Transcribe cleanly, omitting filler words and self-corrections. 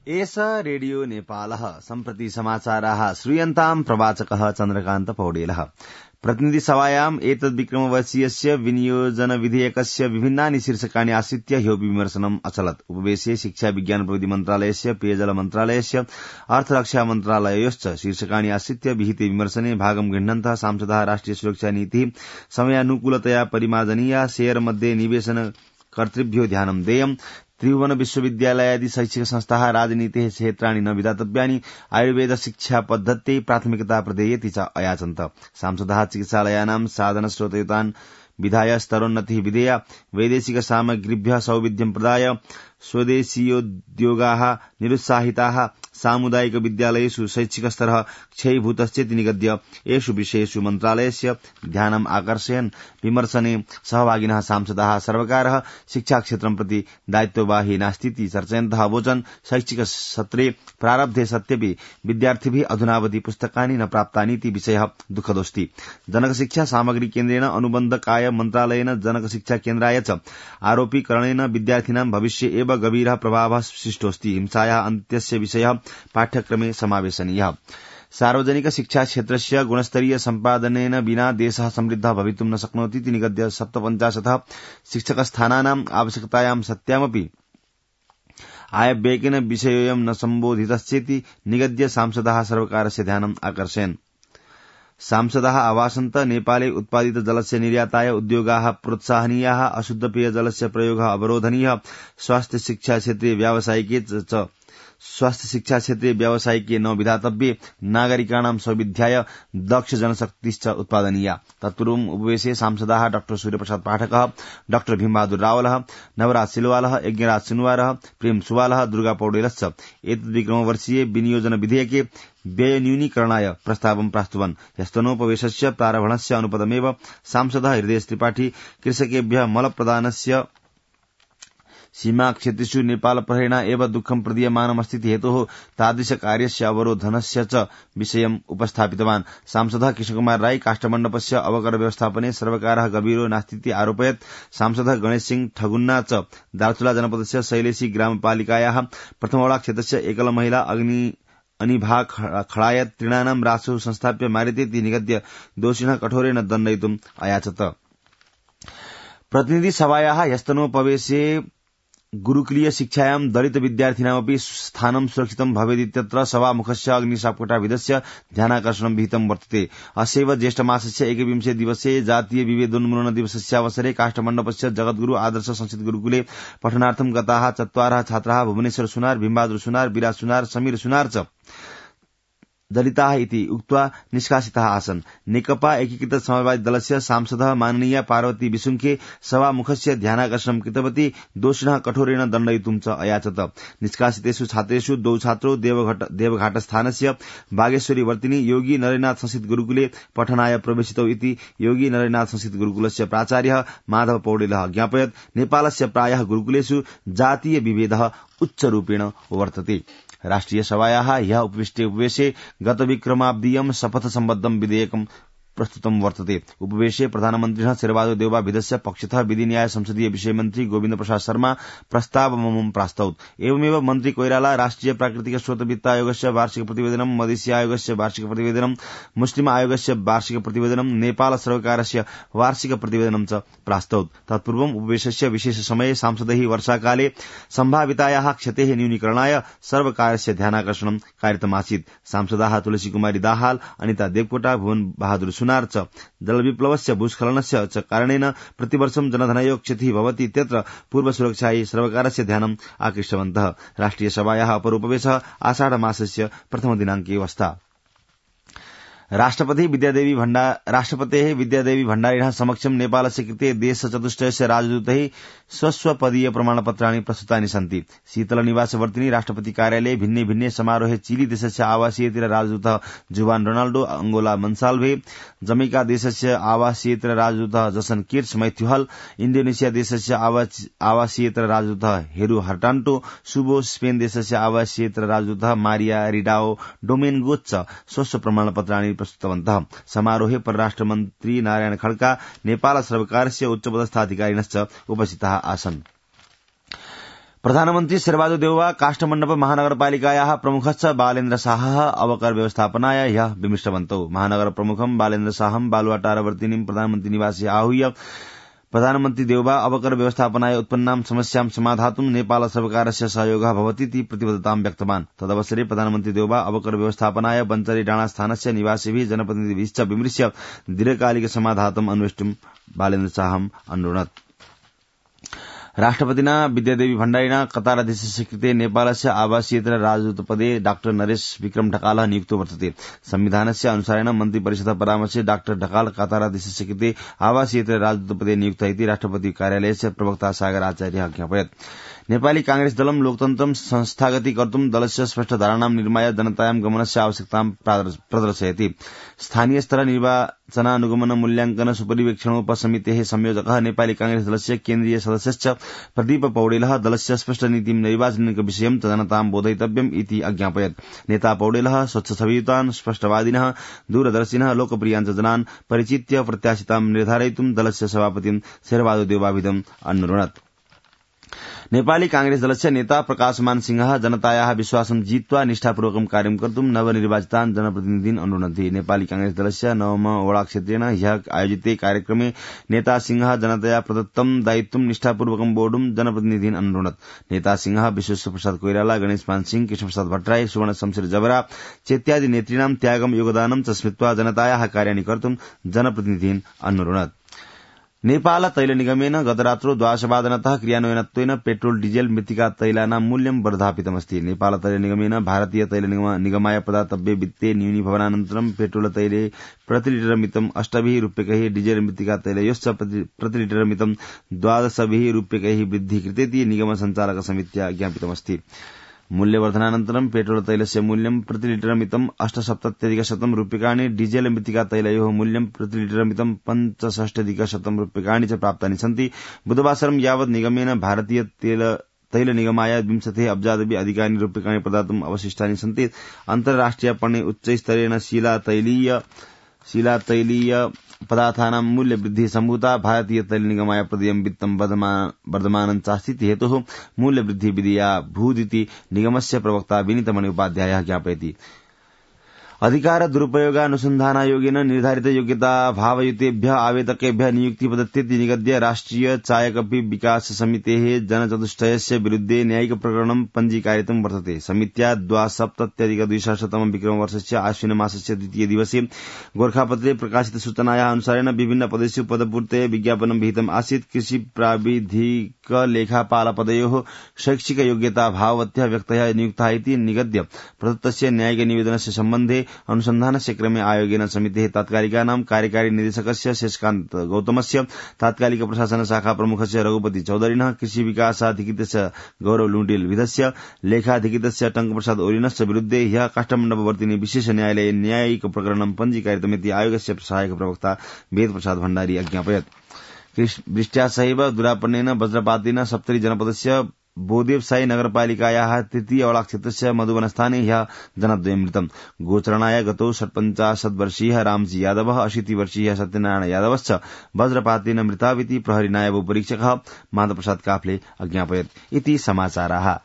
एष रेडियो नेपालः सम्प्रति समाचाराः श्रूयन्ताम् प्रवाचकः चन्द्रकान्त पौडेलः प्रतिनिधि सभायाम् एतद्विक्रमवर्षीयस्य विनियोजन विधेयकस्य विभिन्नानि शीर्षकाणि आश्रित्य ह्यो विमर्शनम् अचलत्। उपवेशे शिक्षा विज्ञान प्रविधि मन्त्रालयस्य पेयजल मन्त्रालयस्य अर्थरक्षा मन्त्रालययोश्च शीर्षकाणि आश्रित्य विहिते विमर्शने भागं गृह्णन्तः सांसदः राष्ट्रिय सुरक्षा नीतिः समयानुकूलतया परिमार्जनीया, शेयर मध्ये निवेशन कर्तृभ्यो ध्यानं देयम्, त्रिभुवन विश्वविद्यालयादि शैक्षिक संस्थाः राजनीतेः क्षेत्राणि न विधातव्यानि, आयुर्वेद शिक्षा पद्धत्यै प्राथमिकता प्रदेयेति च अयाचन्त। सांसदः चिकित्सालयानां साधनस्रोतयुतान् विधाय स्तरोन्नतिः विधेया, वैदेशिक सामग्रीभ्यः सौविध्यं प्रदाय स्वदेशीयोद्योगाः निरुत्साहिताः, सामुदायिक विद्यालयेषु शैक्षिक स्तरः क्षयीभूतश्चेति निगद्य एषु विषयेषु मन्त्रालयस्य ध्यानम् आकर्षयन् विमर्शने सहभागिनः सांसदाः सर्वकारः शिक्षाक्षेत्रं प्रति दायित्ववाही नास्तीति चर्चयन्तः अवोचन्। शैक्षिक सत्रे प्रारब्धे सत्यपि विद्यार्थिभिः अधुनावधि पुस्तकानि न प्राप्तानीति विषयः दुःखदोऽस्ति। जनकशिक्षा सामग्री केन्द्रेण अनुबन्धकाय मन्त्रालयेन जनकशिक्षा केन्द्राय च आरोपीकरणेन विद्यार्थिनां भविष्ये एव गभीरः प्रभावः सृष्टोऽस्ति। हिंसायाः अन्त्यस्य विषयः पाठ्यक्रमे समावेशनीयः। सार्वजनिक शिक्षा क्षेत्रस्य गुणस्तरीय सम्पादनेन विना देशः समृद्धः भवितुं न शक्नोति इति निगद्य 57 शिक्षकस्थानानाम् आवश्यकतायां सत्यामपि आयव्ययेन विषयोऽयं न सम्बोधितश्चेति निगद्य सांसदः सर्वकारस्य ध्यानम् आकर्षयन्। सांसदः अवासन्त नेपाले उत्पादित जलस्य निर्याताय उद्योगाः प्रोत्साहनीयाः, अशुद्ध पेयजलस्य प्रयोगः अवरोधनीयः, स्वास्थ्य शिक्षा क्षेत्रे व्यावसायिके न विधातव्ये, नागरिकाणां सौविध्याय दक्ष जनशक्तिश्च उत्पादनीया। तत्पूर्वम् उपवेशे सांसदाः डॉ सूर्यप्रसाद पाठकः, डॉ भीमबहादुर रावलः, नवराज सिलवालः, यज्ञराज सुनवारः, प्रेम सुवालः, दुर्गा पौडेलश्च एतद्विक्रमवर्षीये विनियोजन विधेयके व्ययन्यूनीकरणाय प्रस्तावं प्रस्तुवन्। ह्यस्तनोपवेशस्य प्रारम्भणस्य अनुपदमेव सांसदः हृदय त्रिपाठी कृषकेभ्यः मलप्रदानस्य सीमाक्षेत्रेषु नेपाल प्रहरेण एव दुःखं प्रदीयमानमस्तीति हेतोः तादृशकार्यस्य अवरोधनस्य च विषयम् उपस्थापितवान्। सांसदः कृष्णकुमार राई काष्ठमण्डपस्य अवकर व्यवस्थापने सर्वकारः गभीरो नास्तीति आरोपयत्। सांसदः गणेश सिंह ठगुन्ना च दार्चुला जनपदस्य शैलेशी ग्रामपालिकायाः प्रथमवडा क्षेत्रस्य एकल महिला अनिभा खडायत तृणानां रासु संस्थाप्य मारितेति निगद्य दोषिणः कठोरेण दण्डयितुम् अयाचत। प्रतिनिधि सभायाः ह्यस्तनोपवेशे गुरुकुलीय शिक्षायां दलित विद्यार्थिनामपि स्थानं सुरक्षितं भवेदित्यत्र सभामुखस्य अग्निशापकटाविधस्य ध्यानाकर्षणं विहितं वर्तते। अस्यैव ज्येष्ठमासस्य 21 दिवसे जातीय विभेदोन्मूलन दिवसस्यावसरे काष्ठमण्डपस्य जगद्गुरु आदर्श संस्कृत गुरुकुले पठनार्थं गताः 4 छात्राः भुवनेश्वर सुनार, भीमबहादुर सुनार, विराज सुनार, समीर सुनार च दलिताः इति उक्त्वा निष्कासिताः आसन्। नेकपा एकीकृत समाजवादी दलस्य सांसदः माननीय पार्वती विसुङ्खे सभामुखस्य ध्यानाकर्षणं कृतवती। दोषिणः कठोरेण दण्डयितुं च अयाचत। निष्कासितेषु छात्रेषु 2 छात्रौ देवघाटस्थानस्य बागेश्वरी वर्तिनी योगी नरेन्द्रनाथ संस्कृत गुरुकुले पठनाय प्रवेशितौ इति योगी नरेन्द्रनाथ संस्कृत गुरुकुलस्य प्राचार्यः माधव पौडेलः ज्ञापयत्। नेपालस्य प्रायः गुरुकुलेषु जातीय विभेदः उच्चरूपेण वर्तते। राष्ट्रिय सभायाः ह्यः उपविष्टे उपवेशे गतविक्रमाब्दीयं शपथ सम्बद्धं विधेयकं प्रस्तुतं वर्तते। उपवेशे प्रधानमन्त्रिणः शेरबहादुर देउबा विधस्य पक्षतः विधि न्याय संसदीय विषय मन्त्री गोविन्द प्रसाद शर्मा प्रस्तावममुं प्रास्तौत्। एवमेव मन्त्री कोइराला राष्ट्रिय प्राकृतिक स्रोत वित्त आयोगस्य वार्षिक प्रतिवेदनं, मधेसी आयोगस्य वार्षिक प्रतिवेदनं, मुस्लिम आयोगस्य वार्षिक प्रतिवेदनं, नेपाल सर्वकारस्य वार्षिक प्रतिवेदनं च प्रास्तौत्। तत्पूर्वम् उपवेशस्य विशेष समये सांसदैः वर्षाकाले सम्भावितायाः क्षतेः न्यूनीकरणाय सर्वकारस्य ध्यानाकर्षणं कारितमासीत्। सांसदाः तुलसी कुमारी दाहाल, अनिता देवकोटा, भुवन बहादुर सुनार च जलविप्लवस्य भूस्खलनस्य च कारणेन प्रतिवर्षं जनधनयो क्षतिः भवति इत्यत्र पूर्वसुरक्षायै सर्वकारस्य ध्यानम् आकृष्टवन्तः। राष्ट्रिय सभायाः अपरोपवेशः आषाढ मासस्य प्रथम दिनाङ्के वस्था। राष्ट्रपतेः विद्यादेवी भण्डारिणः समक्षं नेपालस्य कृते देशचतुष्टयस्य राजदूतैः स्वस्वपदीय प्रमाणपत्राणि प्रस्तुतानि सन्ति। शीतलनिवासवर्तिनी राष्ट्रपति कार्यालये भिन्ने भिन्ने समारोहे चिली देशस्य आवासीयतिर राजदूतः जुवान रोनाल्डो, अंगोला मन्साल्भे, जमैका देशस्य आवासीयतिर राजदूतः जसन किर्च मैथ्यूहल, इण्डोनेशिया देशस्य आवासीयतिर राजदूतः हेरू हर्टान्टो, सुबो स्पेन देशस्य आवासीयतिर राजदूतः मारिया रिडाओ डोमेन्गो च स्वस्व प्रमाणपत्राणि प्रस्तुतवन्तः। समारोहे परराष्ट्र मन्त्री नारायण खड्का, नेपाल सर्वकारस्य उच्चपदस्थ अधिकारिणश्च उपस्थिताः आसन्। प्रधानमन्त्री शेरबहादुर देउवा काष्ठमण्डप महानगरपालिकायाः प्रमुखश्च बालेन्द्र शाहः अवकर व्यवस्थापनाय ह्यः विमिष्टवन्तौ। महानगर प्रमुखं बालेन्द्र शाहं बालुवाटारवर्तिनीं प्रधानमन्त्री निवासे आहूय प्रधानमन्त्री देउवा अवकर व्यवस्थापनाय उत्पन्नां समस्यां समाधातुं नेपाल सर्वकारस्य सहयोगः भवतीति प्रतिबद्धतां व्यक्तवान्। तदवसरे प्रधानमन्त्री देउवा अवकर व्यवस्थापनाय बञ्चरी डाँडा स्थानस्य निवासिभिः जनप्रतिनिधिभिश्च विमृश्य दीर्घकालिक समाधातुम् अन्वेष्टुं बालेन्द्र शाहम् अनुरुणत्। राष्ट्रपतिना विद्यादेवी भण्डारिणा कताराध्यक्ष स्वीकृते नेपालस्य आवासीयेतर राजदूतपदे डाक्टर नरेश विक्रम ढकालः नियुक्तो वर्तते। संविधानस्य अनुसारेण मन्त्रिपरिषदः परामर्शे डाक्टर ढकाल कताराध्यक्ष स्वीकृते आवासीयेतर राजदूतपदे नियुक्त इति राष्ट्रपति कार्यालयस्य प्रवक्ता सागर आचार्यः ज्ञापयत्। नेपाली कांग्रेस दलं लोकतन्त्रं संस्थागती कर्तुं दलस्य स्पष्ट धारणां निर्माय जनतायां गमनस्य आवश्यकतां प्रदर्शयति। स्थानीय स्तर निर्वाचनानुगमन मूल्याङ्कन सुपरिवेक्षणोपसमितेः संयोजकः नेपाली कांग्रेस दलस्य केन्द्रीय सदस्यश्च प्रदीप पौडेलः दलस्य स्पष्ट नीतिं नैर्वाचनिक विषयं च जनतां बोधयितव्यम् इति अज्ञापयत्। नेता पौडेलः स्वच्छछवियुतान् स्पष्टवादिनः दूरदर्शिनः लोकप्रियान् च जनान् परिचित्य प्रत्याशितां निर्धारयितुं दलस्य सभापतिं शेरबहादुर देउवाभिधम् अनुरुणत्। नेपाली कांग्रेस दलस्य नेता प्रकाशमान सिंहः जनतायाः विश्वासं जित्वा निष्ठापूर्वकं कार्यं कर्तुं नवनिर्वाचितान् जनप्रतिनिधीन् अनुरुणन्ति। नेपाली कांग्रेस दलस्य नवम वडा क्षेत्रेण ह्यः आयोजिते कार्यक्रमे नेता सिंहः जनतया प्रदत्तं दायित्वं निष्ठापूर्वकं वोढुं जनप्रतिनिधीन् अनुरुणत्। नेता सिंहः विश्वेश्वर प्रसाद कोइराला, गणेशमान सिंह, कृष्णप्रसाद भट्टराई, सुवर्ण शमशेर जबरा चेत्यादि नेतॄणां त्यागं योगदानं च स्मृत्वा जनतायाः कार्याणि कर्तुं जनप्रतिनिधीन् अनुरुणत्। नेपाल तैल निगमेन गतरात्रौ 12:15 क्रियान्वयनत्वेन पेट्रोल डीजेल मृत्तिका तैलानां मूल्यं वर्धापितमस्ति। नेपाल तैल निगमेन भारतीय तैल निगमाय प्रदातव्ये वित्ते न्यूनीभवनानन्तरं पेट्रोल तैले प्रतिलिटरमितं 8 रूप्यकैः, डीजेल मृत्तिका तैलयोश्च प्रतिलिटरमितं 12 रूप्यकैः वृद्धिः कृतेति निगम सञ्चालक समित्या ज्ञापितमस्ति। मूल्यवर्धनानन्तरं पेट्रोल तैलस्य मूल्यं प्रतिलिटरमितं 8,70,100 रूप्यकाणि, डीजेल मृत्तिका तैलयोः मूल्यं प्रतिलिटरमितं 65,100 रूप्यकाणि च प्राप्तानि सन्ति। बुधवासरं यावत् निगमेन भारतीय तैल निगमाय 20 अब्जादपि अधिकानि रूप्यकाणि प्रदातुम् अवशिष्टानि सन्ति। अन्तर्राष्ट्रियपणे उच्चस्तरेण शिलातैलीय पदार्थानां मूल्यवृद्धिः सम्भूता। भारतीय तैल निगमाय प्रदेयं वित्तं वर्धमानं चास्तीति हेतुः मूल्यवृद्धिः विधेया भूदिति निगमस्य प्रवक्ता विनीतमणि उपाध्यायः ज्ञापयति। अधिकार दुरुपयोगानुसन्धानायोगेन निर्धारित योग्यता भावयुतेभ्यः आवेदकेभ्यः नियुक्ति प्रदत्तेति निगद्य राष्ट्रिय चायकपि विकास समितेः जनचतुष्टयस्य विरुद्धे न्यायिक प्रकरणं पञ्जीकारितं वर्तते। समित्या 2070-200 विक्रमवर्षस्य आश्विन मासस्य 2 दिवसे गोरखापत्रे प्रकाशित सूचनायाः अनुसारेण विभिन्न पदेषु पदपूर्तये विज्ञापनं विहितम् आसीत्। कृषि प्राविधिक लेखापालपदयोः शैक्षिक योग्यता भाववत्यः व्यक्तयः नियुक्ताः इति निगद्य प्रदत्तस्य न्यायिक निवेदनस्य सम्बन्धे अनुसन्धानस्य क्रमे आयोगेन समितेः तात्कालिकानां कार्यकारी निदेशकस्य शेषकान्त गौतमस्य, तात्कालिक प्रशासन शाखा प्रमुखस्य रघुपति चौधरिणः, कृषि विकासाधिकृतस्य गौरव लुण्डेलविधस्य, लेखाधिकृतस्य टङ्कप्रसाद ओलिनश्च विरुद्धे ह्यः काष्ठमण्डपवर्तिनी विशेष न्यायालये न्यायिक प्रकरणं पञ्जीकारितमिति आयोगस्य सहायक प्रवक्ता वेदप्रसाद भण्डारी अज्ञापयत्। वृष्ट्या सहैव दुरापन्नेन वज्रपातेन सप्तरी जनपदस्य बोदेवसाई नगरपालिकायाः 3 वडाक्षेत्रस्य मधुवनस्थाने ह्यः जनद्वयं मृतम्। गोचरणाय गतौ 50 वर्षीयः रामजी यादवः, 80 वर्षीयः सत्यनारायण यादवश्च वज्रपातेन मृताविति प्रहरी नायब परीक्षकः माधवप्रसाद काफले अज्ञापयत्। इति समाचाराः।